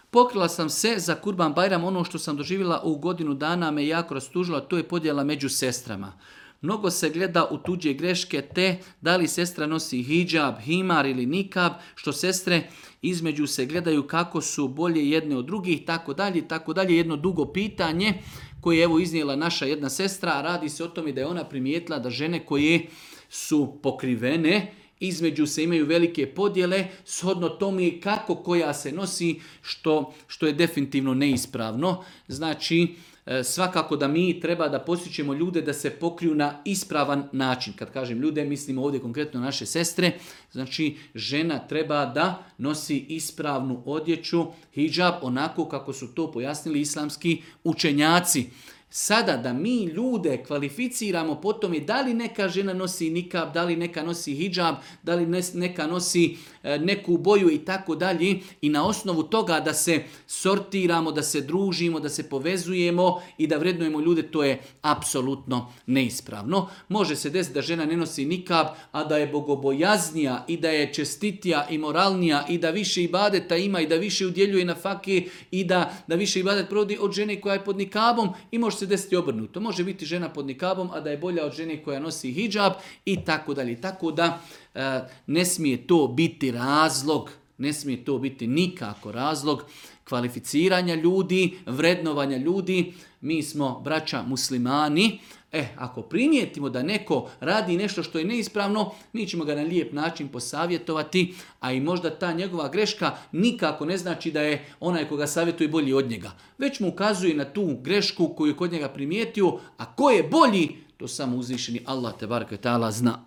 Pokrila sam se za Kurban Bajram, ono što sam doživjela u godinu dana me jako rastužilo, to je podjela među sestrama. Mnogo se gleda u tuđe greške te da li sestra nosi hidžab, himar ili nikab, što sestre između se gledaju kako su bolje jedne od drugih, tako dalje, jedno dugo pitanje koje je evo iznijela naša jedna sestra, a radi se o tome da je ona primijetila da žene koje su pokrivene, između se imaju velike podjele, shodno tome kako koja se nosi, što je definitivno neispravno. Znači, svakako da mi treba da posjećemo ljude da se pokriju na ispravan način. Kad kažem ljude, mislim ovdje konkretno naše sestre. Znači, žena treba da nosi ispravnu odjeću, hidžab, onako kako su to pojasnili islamski učenjaci. Sada da mi ljude kvalificiramo po tome da li neka žena nosi nikab, da li neka nosi hidžab, da li neka nosi neku boju i tako dalje, i na osnovu toga da se sortiramo, da se družimo, da se povezujemo i da vrednujemo ljude, to je apsolutno neispravno. Može se desiti da žena ne nosi nikab, a da je bogobojaznija i da je čestitija i moralnija i da više ibadeta ima i da više udjeljuje na fake i da više ibadet provodi od žene koja je pod nikabom, i može se desiti obrnuto. Može biti žena pod nikabom, a da je bolja od žene koja nosi hidžab i tako dalje. Tako da ne smije to biti razlog, ne smije to biti nikako razlog kvalificiranja ljudi, vrednovanja ljudi. Mi smo braća muslimani. Ako primijetimo da neko radi nešto što je neispravno, mi ćemo ga na lijep način posavjetovati, a i možda ta njegova greška nikako ne znači da je onaj koga savjetuje bolji od njega. Već mu ukazuje na tu grešku koju je kod njega primijetio, a ko je bolji, to samo uzvišeni Allah te bareke taala zna.